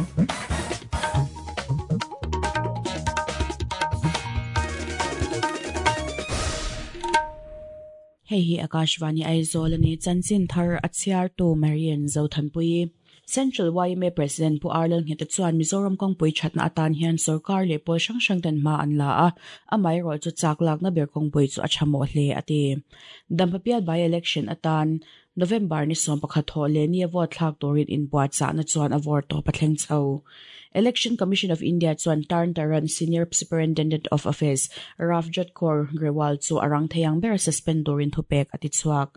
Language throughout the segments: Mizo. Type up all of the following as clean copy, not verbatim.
Hei hi Akashvani Aizawl a ni. Chanchin thar a chhiartu Marian Zothanpuii. Central yma President Pu Arlal Ngheta chuan Mizoram kawngpui thatna atan hian sorkar leh pawl hrang hrang ten hma an la a, amaherawh chu chak lakna ber kawngpui chu a tha mawh hle a ti. Dampapial by-election atan November ni 11 thawh leh ni a vote thlak turin inbuatchahna chuan a vawr tawp a thleng chho. Election Commission of India chuan Tarn Taran Senior Superintendent of Office Ravjot Kaur Grewal chu a rang thei ang bera suspend turin thupek a ti chhuak.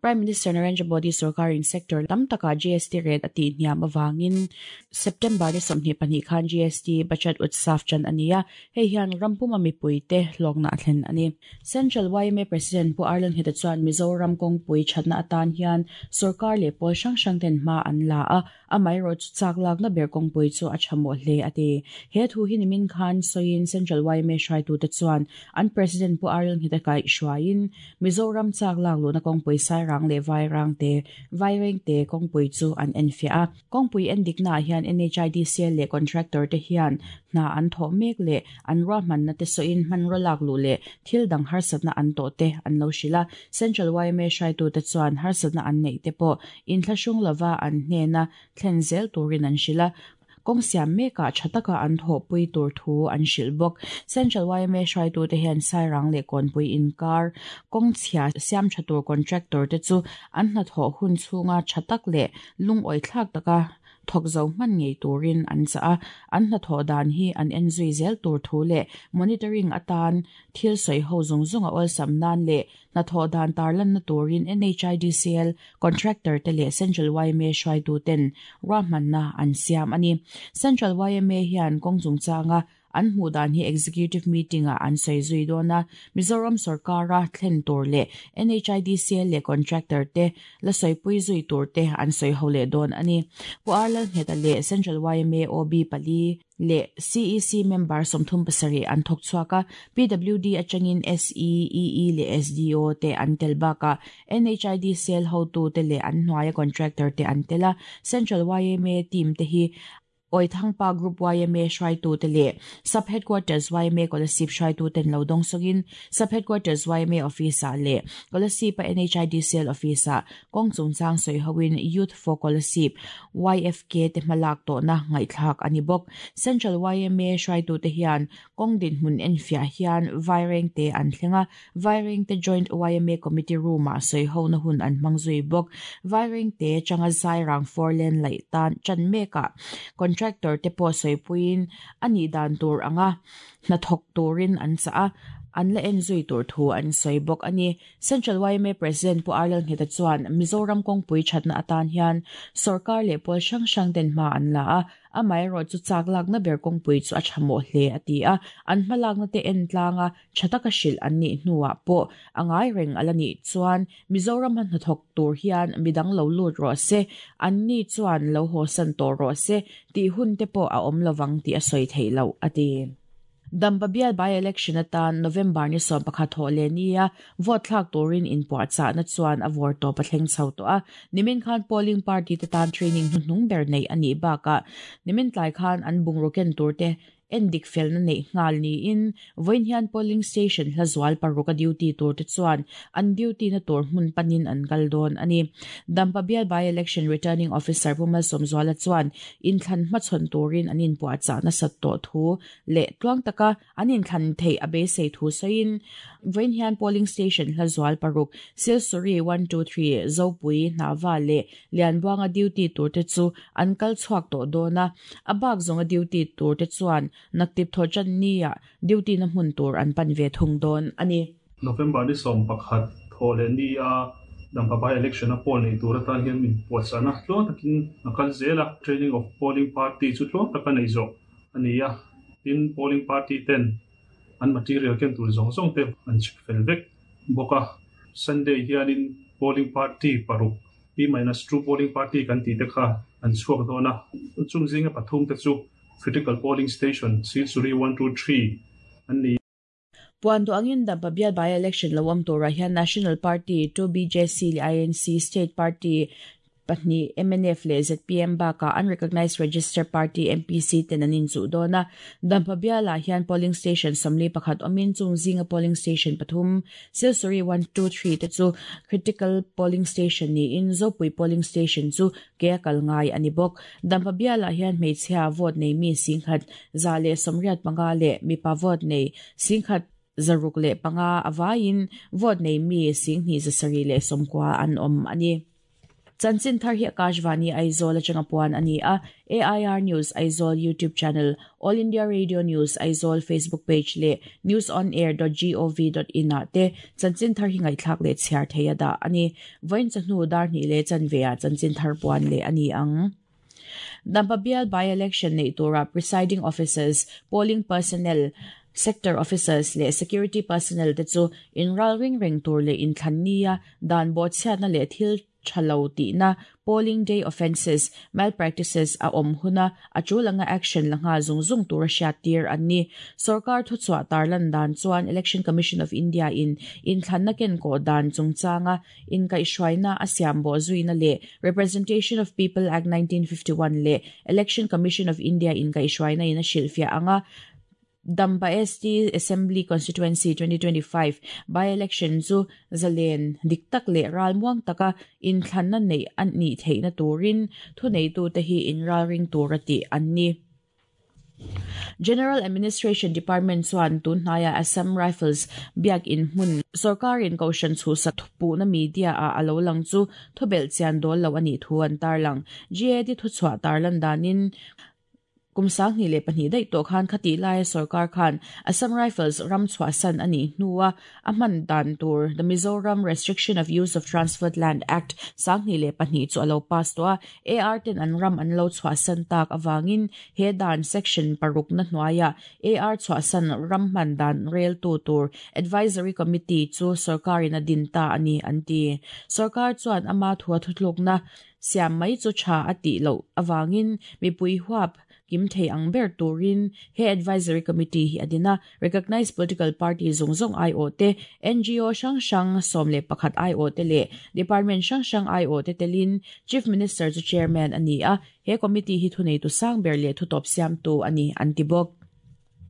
Prime Minister Narendra Modi sorkarin sector tam takah GST rate a tih hniam avangin September ni 22 khan GST Bachat Utsav chan a ni a, hei hian ram puma mipuite hlawkna a thlen a ni. Central yma President Pu Arlen Ngheta chuan Mizoram kawngpui thatna atan hian sorkar leh pawl hrang hrang ten hma an la a, amaherawh chu chak lakna ber kawngpui chu a tha mawh hle a ti. He thu hi nimin khan sawiin Central yma hruaitute chuan an President Pu Arlen Ngheta kaihhruaiin Mizoram chak lak luhna kawngpui Sairang leh Vairangte Vairengte kawngpui chu an enfiah a. Kawngpui endiknaah hian NHIDCL leh contractor te hian hna an thawh mek leh an ruahmanna te sawiin hmanraw lak luh leh thil dang harsatna an tawh te an lo hrilh a. Central yma hruaitute chuan harsatna an neih te pawh inthlahrung lova an hnena thlen zel turin an hrilh a. Kawng siam mekah tha taka an thawhpui tur thu an hrilh bawk. Central yma hruaitute hian Sairang leh Kawnpui inkar kawng chhia siam tha tur contractor te chu an hnathawh hun chhunga tha tak leh lungawi thlak taka thawk zo hman ngei turin an chah a, an hnathawh dan hi an en zui zel tur thu leh monitoring atan thil sawi ho zawng zawng a awlsam nan leh hnathawh dan tarlanna turin NHIDCL contractor te leh Central yma hruaitu ten ruahmanna an siam a ni. Central yma hian kawng chungchanga An hmuh dan hi Executive Meeting ah an sawi zui dawn a, Mizoram sorkara thlen tur leh NHIDCL leh contractor te la sawipui zui tur te an sawi ho leh dawn a ni. Pu R Lalngheta leh Central yma OB pali leh CEC member 37 an thawk chhuak a, PWD atangin SE, EE leh SDO te an tel bakah NHIDCL hotu te leh an hnuaia contractor te an tel a, Central yma team te hi Awithangpa Group yma hruaitute leh Sub Headquarters yma Kolasib hruaituten lo dawng sawngin Sub Headquarters yma Office-ah leh Kolasib-a NHIDCL Office-ah kawng chungchang sawi hoin Youth for Kolasib, YFK, te hmalak tawhna ngaihthlak a ni bawk. Central yma hruaitute hian kawng dinhmun enfiah hian Vairengte an thleng a, Vairengte Joint yma Committee Room-ah sawi hona hun an hmang zui bawk. Vairengte changa Zairang four lane laih tan tan mekah contractor te pawh sawipuiin a nih dan tur anga hnathawk turin an chah a, an la en zui tur thu an sawi bawk a ni. Central yma President Pu Arlal Ngheta chuan Mizoram kawngpui thatna atan hian sorkar leh pawl hrang hrang ten hma an la a, Amaherawh chu chak lakna ber kawngpui chu a tha mawh hle a ti a, an hmalakna te en tlanga tha taka hrilh an nih hnuah pawh a ngai reng a la nih chuan Mizoram a hnathawk tur hian midang lo lut rawh se, an ni chuan lo hawsan tawh rawh se tih hun te pawh a awm lovang tih a sawi theih loh a ti. Dampa bial by-election atan November ni 11 thawh leh nia vote thlak turin inpuahchahna chuan a vawr tawp a thleng chho tawh a. Nimin khan polling party te tan training hnuhnung ber neih a nih bakah nimin tlai khan an bungraw ken tur te endik felna neih nghal niin vawiin hian polling station hla zual paruk a duty tur te chuan an duty na tur hmun panin an kal dawn a ni. Dampa bial by-election returning officer Pu Malsawmzuala chuan inthlan hmachhawn turin an inpuahchah nasat tawh thu leh tluang taka an inthlan theih a beisei thu sawiin vawiin hian polling station hla zual paruk Silsuri one two three Zopui Hnahva leh Lianbuanga duty tur te chu an kal chhuak tawh dawn a, a bak zawnga duty tur te chuan naktip thaw tan nia duty na hmun tur an pan ve thung dawn a ni. November ni 11 thaw leh nia Dampa by election a poll nei tur atan hian min puahchahna tluang takin a kal zel a, training of polling party chu tluang taka nei zawh a ni a, tin polling party ten an material ken tur zawng zawng te an chhip fel vek bawk a. Sunday hianin polling party paruk P minus two polling party kan tih te kha an chhuak dawn a, chung zinga pathum te chu critical polling station Silsuri one two three an ni. Puan duh angin Dampa bial by-election lo awm turah hian National Party, 2BJC leh INC, State Party, Pahnih, mnf leh zpm bakah unrecognised registered party MPC ten an inchuh dawn a. Dampa bialah hian polling station 41 awmin chung zinga polling station pathum, Silsuri one, two, three te chu critical polling station niin Zopui polling station chu ke a kal ngai a ni bawk. Dampa bialah hian hmeichhia vote nei mi 1185 leh mipa vote nei 1605 a vaiin vote nei mi 2790 an awm a ni. Chanchin thar hi Akashvani Aizawl atanga puan a ni a, AIR News Aizawl YouTube channel, All India Radio News Aizawl Facebook page leh newsonair.gov.in ah te chanchin thar hi ngaihthlak leh chhiar thei a dah a ni. Vawiin chawhnu dar hnih leh chanve ah chanchin thar puan leh a ni ang. Dampa bial by-election neih turah presiding officers, polling personnel, sector officers leh security personnel te chu inralring reng tur leh inthlan nia dan bawhchhiatna leh thil tha lo tihna, polling day offences, malpractices, a awm huna a tul anga action la nghal zung zung tura hriattir an ni. Sorkar thuchhuah tarlan dan chuan Election Commission of India in inthlanna kenkawh dan chungchanga inkaihhruaina a siam bawh zuina leh Representation of People Act 1951 leh Election Commission of India inkaihhruaina in a hrilhfiah anga Dampa ST Assembly Constituency 2025 by-election chu zalen dik tak leh ralmuang taka inthlanna neih a nih theihna turin thuneitute hi inralring tura tih an ni. General Administration Department chuan tun hnaia Assam Rifles biak in hmun sorkarin kohhran chhuhsak thupuhna media ah a lo lang chu thubelh chian dawl lo a nih thu an tarlang. GAD thuchhuah tarlan danin Kum 2002 daih tawh khan khatih laia sorkar khan Assam Rifles ram chhuahsan a nih hnua a hman dan tur The Mizoram Restriction of Use of Transferred Land Act 2002 chu a lo pass tawh a, AR ten an ram an lo chhuahsan tak avangin he dan section parukna hnuaia AR chhuahsan ram hman dan reltu tur Advisory Committee chu sorkarin a din ta a ni an ti. Sorkar chuan ama thua thuthlukna Siam mai chu tha a tih loh avangin mipui huap kim thei ang ber turin he Advisory Committee hi a din a, Recognised Political Party zawng zawng aiawh te, ngo hrang hrang 11 aiawh te leh Department hrang hrang aiawh te telin Chief Minister chu Chairman a ni a, he Committee hi thuneitu sang ber leh thutawp siamtu a ni an ti bawk.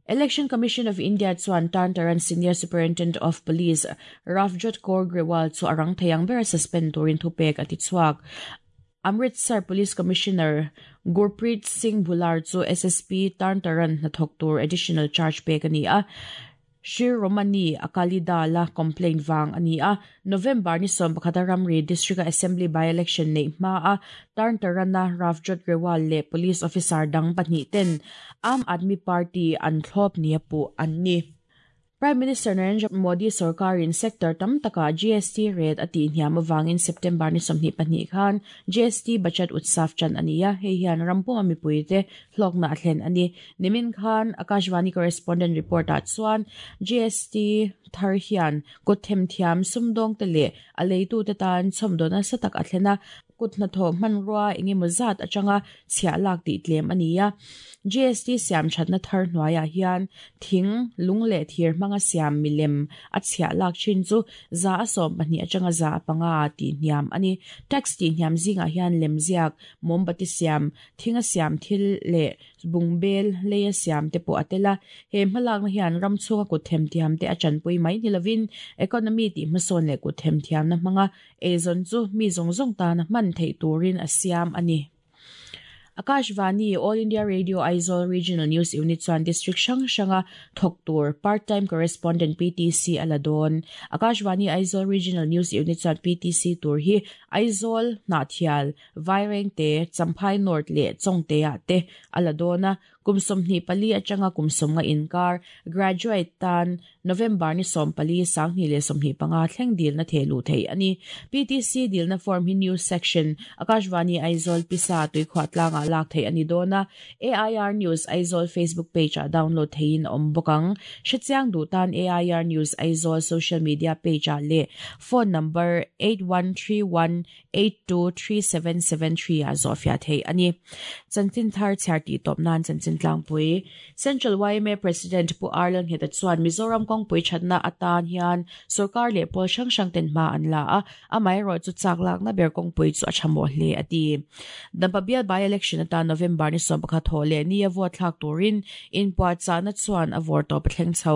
Election Commission of India chuan Tarn Taran Senior Superintendent of Police Ravjot Kaur Grewal chu a rang thei ang bera suspend turin thupek a ti chhuak. Amritsar Police Commissioner Gurpreet Singh Bhullar chu SSP Tarn Taran hnathawk tur additional charge pek a ni a. Shri Romani Akali Dal-a complaint vang a ni a. November ni 11 a ramri District-a Assembly by-election neih hmaa Tarn Taran-a Ravjot Grewal leh Police officer dang pahnih ten Aam Aadmi Party an thlawp nia puh an ni. Prime Minister Narendra Modi sorkarin sector tam takah GST rate a tihhniam avangin September ni 22 khan GST Bachat Utsav chan a ni a, hei hian ram puma mipuite hlawkna a thlen a ni. Nimin khan Akashvani correspondent report-ah chuan GST thar hian kut themthiam sumdawngte leh a leitute tan chhawmdaw nasa tak a thlen a, kut hnathawh hmanrua eng emaw zat atanga chhiah lak tih tlem a ni a. GST siam thatna thar hnuaiah hian thing, lung leh thir hmanga siam milem a chhiah lak thin chu 12% atanga 5% ah tih hniam a ni. Tax tih hniam zingah hian lemziak, mawmbati siam, thinga siam thil leh Bungbel leia siam te pawh a tel a, he hmalakna hian ram chhunga kut themthiam te a tanpui mai ni lovin economy tih hmasawn leh kut themthiamna hmanga eizawn chu mi zawng zawng tana hman theih turin a siam a ni. Akashvani, All India Radio Aizawl Regional News Unit chuan District hrang hranga thawk tur Part Time Correspondent, PTC, a la dawn. Akashvani Aizawl Regional News Unit chuan PTC tur hi Aizawl, Hnahthial, Vairengte, Champhai North leh Chawngte-ah te a la dawn a, kum 24 atanga kum 50 inkar, graduate, tan November ni 14, 2025 thleng dilna theh luh theih a ni. PTC dilna form hi News Section, Akashvani Aizawl Pisa tuikhuah tlangah lak theih a ni dawn a, AIR News Aizawl Facebook page-ah download theihin a awm bawk ang. Hrechiang duh tan AIR News Aizawl social media page-ah leh phone number 8131 823773 ah zawhfiah theih a ni. Chanchin thar chhiar tih tawp nan chanchin tlangpui. Central yma President Pu Arlal Ngheta chuan Mizoram kawngpui thatna atan hian sorkar leh pawl hrang hrang ten hma an la a, amaherawhchu chak lakna ber kawngpui chu a tha mawh hle a ti. Dampa bial by-election atan November ni 11 thawh leh ni a vote thlak turin inpuahchahna chuan a vawr tawp a thleng chho.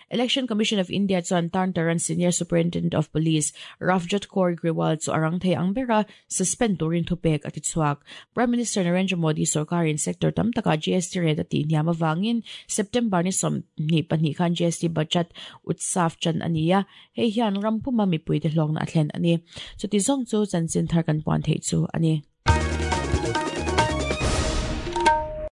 Election Commission of India chuan Tarn Taran Senior Superintendent of Police Ravjot Kaur Grewal chu a rang thei ang bera suspend turin thupek a ti chhuak. Prime Minister Narendra Modi sorkarin sector tam takah GST rate a tihhniam avangin September ni 22 khan GST budget utsav chan a ni a, hei hian ram puma mipuite hlawkna a thlen a ni. Chuti zawng chu chanchin thar kan puan theih chu a ni.